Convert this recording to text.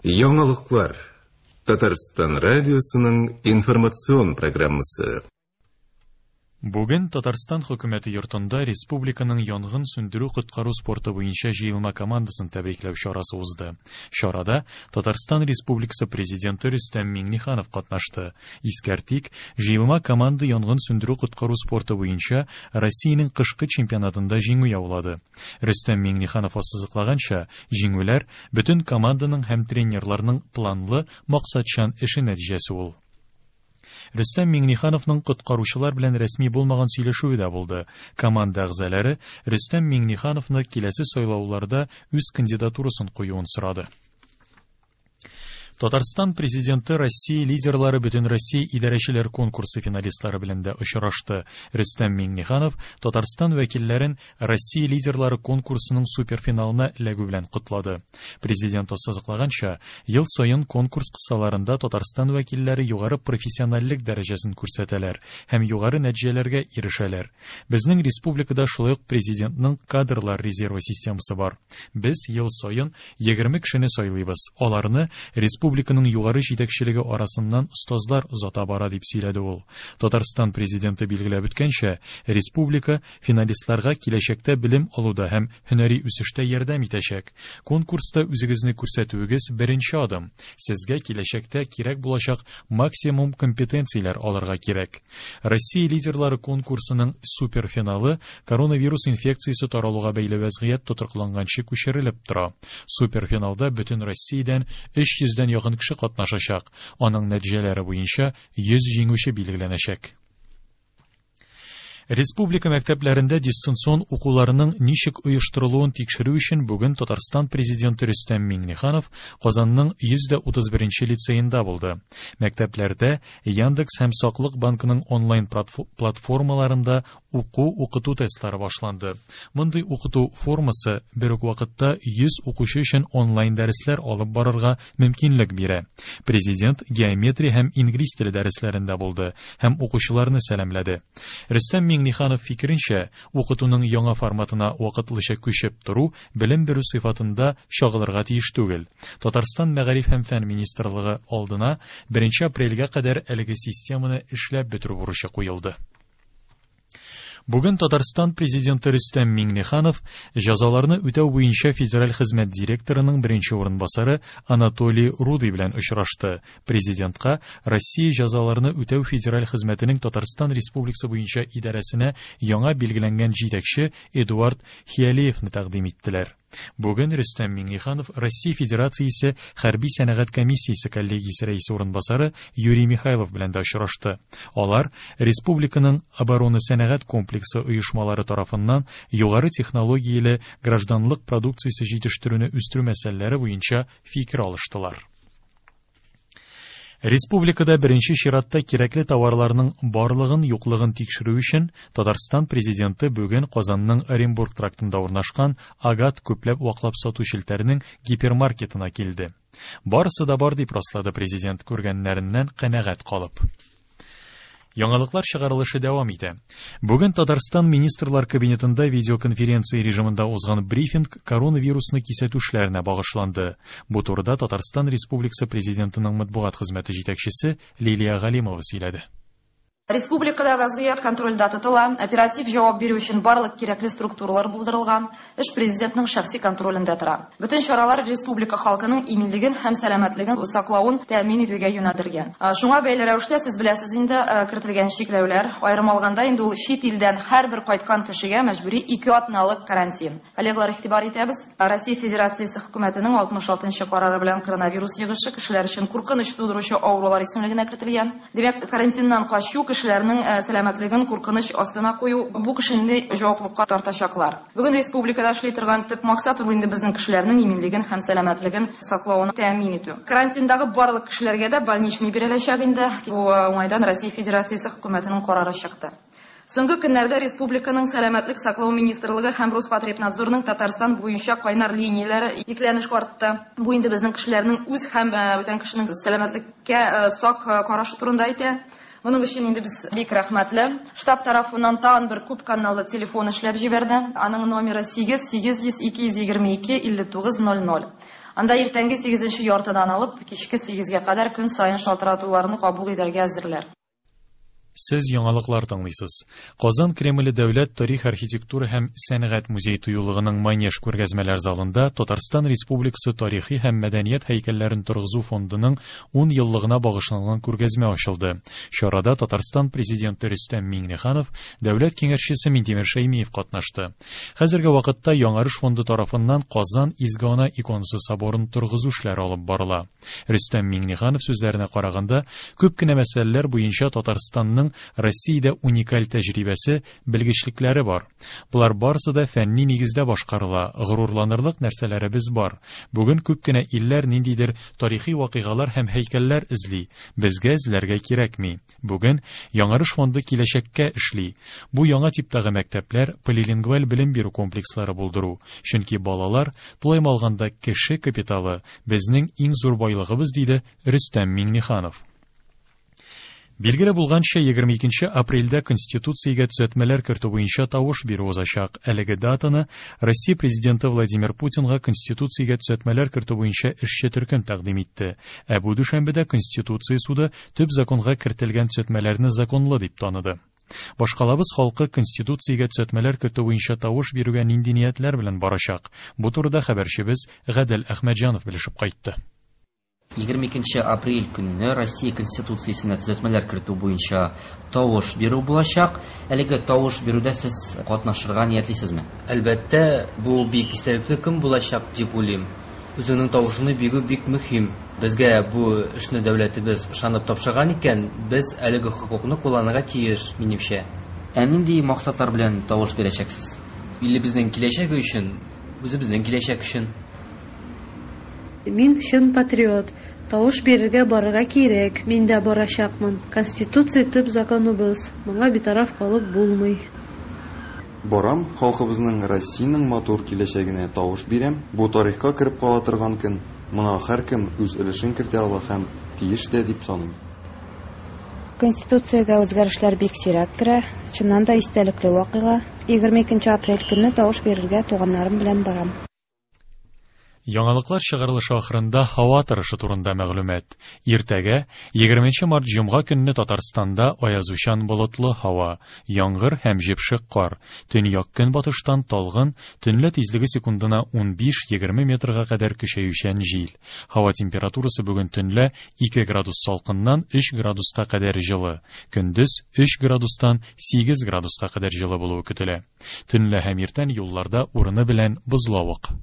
Яңалыклар. Татарстан радиосының информацион программасы. Бүген Татарстан хөкүмәте йортында республиканың янгын сүндерү-коткару спорты буенча җыелма командасын тәбрикләү чарасы узды. Чарада Татарстан Республикасы Президенты Рөстәм Миңнеханов катнашты. Искәртик, җыелма команда янгын сүндерү-коткару спорты буенча Россиянең кышкы чемпионатында җиңү яулады. Рөстәм Миңнеханов ассызыклаганча, җиңүләр бөтен команданың һәм тренерларның планлы, максатчан эше нәтиҗәсе ул. Рөстәм Миңнехановның коткаручылар белән рәсми булмаган сөйләшүе дә булды. Команда әгъзалары Рөстәм Миңнехановны киләсе сайлауларда үз кандидатурасын куюын сорады. Татарстан Президенты Россия лидерлары Бөтенроссия идарәчеләр конкурсы финалистлары белән дә очрашты. Рөстәм Миңнеханов Татарстан вәкилләрен Россия лидерлары конкурсының суперфиналына эләгү белән котлады. Президент ассызыклаганча, ел саен конкурс кысаларында Татарстан вәкилләре югары профессиональлек дәрәҗәсен күрсәтәләр һәм югары нәтиҗәләргә ирешәләр. Безнең республикада шулай ук президентның кадрлар резервы системасы бар. Без ел саен 20 кешене сайлыйбыз. Аларны республиканың югары җитәкчелеге арасыннан остазлар озата бара, дип сөйләде ул. Татарстан президенты билгеләп үткәнчә, республика финалистларга киләчәктә белем алуда һәм һөнәри үсештә ярдәм итәчәк. Конкурста үзегезне күрсәтүегез беренче адым. Сезгә киләчәктә кирәк булачак максимум компетенцияләр алырга кирәк. Россия лидерлары конкурсының суперфиналы коронавирус инфекциясе таралуга бәйле вәзгыять тотрыкланганчы күчерелеп тора. Суперфиналда бөтен Россиядән 300 дән якын кеше катнашачак. Аның нәтиҗәләре буенча 100 җиңүче билгеләнәчәк. Республика мәктәпләрендә дистанцион укуларының ничек оештырылуын тикшерү өчен бүген Татарстан Президенты Рөстәм Миңнеханов Казанның 131 нче лицеенда булды. Мәктәпләрдә Яндекс һәм Саклык банкының онлайн платформаларында уку-укыту тестлары башланды. Мондый укыту формасы бер үк вакытта 100 укучы өчен онлайн дәресләр алып барырга мөмкинлек бирә. Президент геометрия һәм инглиз теле дәресләрендә булды һәм укучыларны сәламләде. Рөстәм Миңнеханов фикеренчә, укытуның яңа форматына вакытлыча күчеп тору белем бирү сыйфатында чагылырга тиеш түгел. Татарстан Мәгариф һәм фән министрлыгы алдына 1 апрельгә кадәр әлеге системаны эшләп бетерү бурычы куелды. Бүген Татарстан Президенты Рөстәм Миңнеханов җәзаларны үтәү буенча федераль хезмәт директорының беренче урынбасары Анатолий Рудый белән очрашты. Президентка Россия җәзаларны үтәү федераль хезмәтенең Татарстан Республикасы буенча идарәсенә яңа билгеләнгән җитәкче Эдуард Хиалеевны тәкъдим иттеләр. Бүген Рөстәм Миңнеханов Россия Федерациясе Хәрби сәнәгать комиссиясе коллегиясе рәисе урынбасары Юрий Михайлов белән дә очрашты. Алар республиканың оборона-сәнәгать комплексы оешмалары тарафыннан югары технологияле гражданлык продукциясе җитештерүне үстерү мәсьәләләре буенча фикер алыштылар. Республикада беренче чиратта кирәкле товарларның барлыгын-юклыгын тикшерү өчен Татарстан Президенты бүген Казанның Оренбург трактында урнашкан Агат күпләп ваклап сату челтәренең гипермаркетына килде. Барысы да бар, дип раслады Президент, күргәннәреннән канәгать калып. Яңалыклар чыгарылышы дәвам итә. Бүген Татарстан Министрлар Кабинетында видеоконференция режимында узган брифинг коронавирусны кисәтү эшләренә багышланды. Бу турыда Татарстан Республикасы Президентының матбугат хезмәте җитәкчесе Лилия Галимова сөйләде. Республикада вазгыять контрольдә тотыла, оператив җавап бирү өчен барлык кирәкле структуралар булдырылган, эш президентның шәхси контролендә тора. Бөтен чаралар республика халкының иминлеген һәм сәламәтлеген саклавын тәэмин итүгә юнәлдергән. Шуңа бәйле рәвештә, сез беләсез инде, кертелгән чикләүләр, аерым алганда инде ул чит илдән һәрбер кайткан кешегә мәҗбүри 2 атналык карантин. Коллегалар, игътибар итәбез, Россия Федерациясе хөкүмәтенең 66 нчы карары белән коронавирус йогышы кешеләр өчен куркыныч тудыручы авырулар исемлегенә кертелгән. Димәк, карантиннан качу, кешеләрнең сәламәтлеген куркыныч астына кую, бу кешене җаваплылыкка тартачаклар. Бүген республикада эшли торган төп максат ул инде безнең кешеләрнең иминлеген һәм сәламәтлеген саклавын тәэмин итү. Карантиндагы барлык кешеләргә дә больничный биреләчәк инде. Бу уңайдан Россия Федерациясе хөкүмәтенең карары чыкты. Соңгы көннәрдә республиканың Сәламәтлек саклау министрлыгы һәм Роспотребнадзорның Татарстан буенча кайнар линияләре йөкләнеш артты. Бу инде безнең кешеләрнең үз һәм бүтән кешенең сәламәтлеккә сак карашы турында әйтә. Моның өчен инде без бик рәхмәтле. Штаб тарафыннан тагын бер күп каналлы телефон эшләп җибәрде. Аның номеры 8 800 222 59 00. Анда иртәнге сигезенче яртыдан алып, кичке сигезгә кадәр көн саен шалтыратуларны кабул итәргә әзерләр. Сез яңалыклар тыңлыйсыз. Казан Кремле дәүләт тарих, архитектура һәм сәнгать музей-тыюлыгының Манеж күргәзмәләр залында Татарстан Республикасы тарихи һәм мәдәният һәйкәлләрен торгызу фондының 10 еллыгына багышланган күргәзмә ачылды. Чарада Татарстан Президенты Рөстәм Миңнеханов, Дәүләт Киңәшчесе Минтимер Шәймиев катнашты. Хәзерге вакытта Яңарыш фонды тарафыннан Казан Изге Ана иконасы соборын торгызу эшләре алып барыла. Рөстәм Миңнеханов сүзләренә караганда, күп кенә мәсьәләләр буенча Татарстанның Россиядә уникаль тәҗрибәсе, белгечлекләре бар. Болар барысы да фәнни нигездә башкарыла, горурланырлык нәрсәләребез бар. Бүген күп кенә илләр ниндидер тарихи вакыйгалар һәм һәйкәлләр эзли. Безгә эзләргә кирәкми. Бүген Яңарыш фонды киләчәккә эшли. Бу яңа типтагы мәктәпләр, полилингваль белем бирү комплекслары булдыру. Чөнки балалар, тулаем алганда кеше капиталы, безнең иң зур байлыгыбыз, диде Рөстәм Миңнеханов. Билгеле булганча, 22 апрельдә Конституциягә төзәтмәләр кертү буенча тавыш бирү узачак. Әлеге датаны Россия Президенты Владимир Путинга Конституциягә төзәтмәләр кертү буенча эшче төркем тәкъдим итте. Ә бу дүшәмбедә Конституция суды төп законга кертелгән төзәтмәләрне законлы дип таныды. Башкалабыз халкы Конституциягә төзәтмәләр кертү буенча тавыш бирүгә нинди ниятләр белән барачак? Бу турыда хәбәрчебез Гадел Әхмәтҗанов белешеп кайтты. 22 апрель көнне Россия Конституциясенә төзәтмәләр кертү буенча тавыш бирү булачак. Әлеге тавыш бирүдә сез катнашырга ниятлисезме? Әлбәттә, бу бик истәлекле көн булачак дип уйлыйм. Үзеңнең тавышыңны бирү бик мөһим. Безгә бу эшне дәүләтебез ышанып тапшырган икән, без әлеге хокукны кулланырга тиеш, минемчә. Ә нинди максатлар белән тавыш бирәчәксез? Илебезнең киләчәге өчен, үзебезнең киләчәк өчен. Мин чын патриот. Тавыш бирергә барырга кирәк. Мин дә барачакмын. Конституция төп законыбыз. Моңа битараф калып булмый. Барам, халкыбызның, Россиянең матур киләчәгенә тавыш бирәм. Бу тарихка кереп кала торган көн. Моңа һәркем үз өлешен кертә ала һәм тиеш тә дип саныйм. Конституциягә үзгәрешләр бик сирәк керә. Чыннан да истәлекле вакыйга. 22 апрель көнне тавыш бирергә туганнарым белән барам. Яңалыклар чыгарылышы ахырында һава торышы турында мәгълүмат. Иртәгә, 20 март җомга көнне Татарстанда аязучан болытлы һава, яңгыр һәм җепшек кар. Төньяк-көнбатыштан талгын, төнлә тизлеге секундына 15-20 метрга кадәр көчәючән җил. Һава температурасы бүген төнлә 2 градус салкыннан 3 градуска кадәр җылы, көндез 3 градустан 8 градуска кадәр җылы булуы көтелә. Төнлә һәм иртән юлларда урыны белән бозлавык.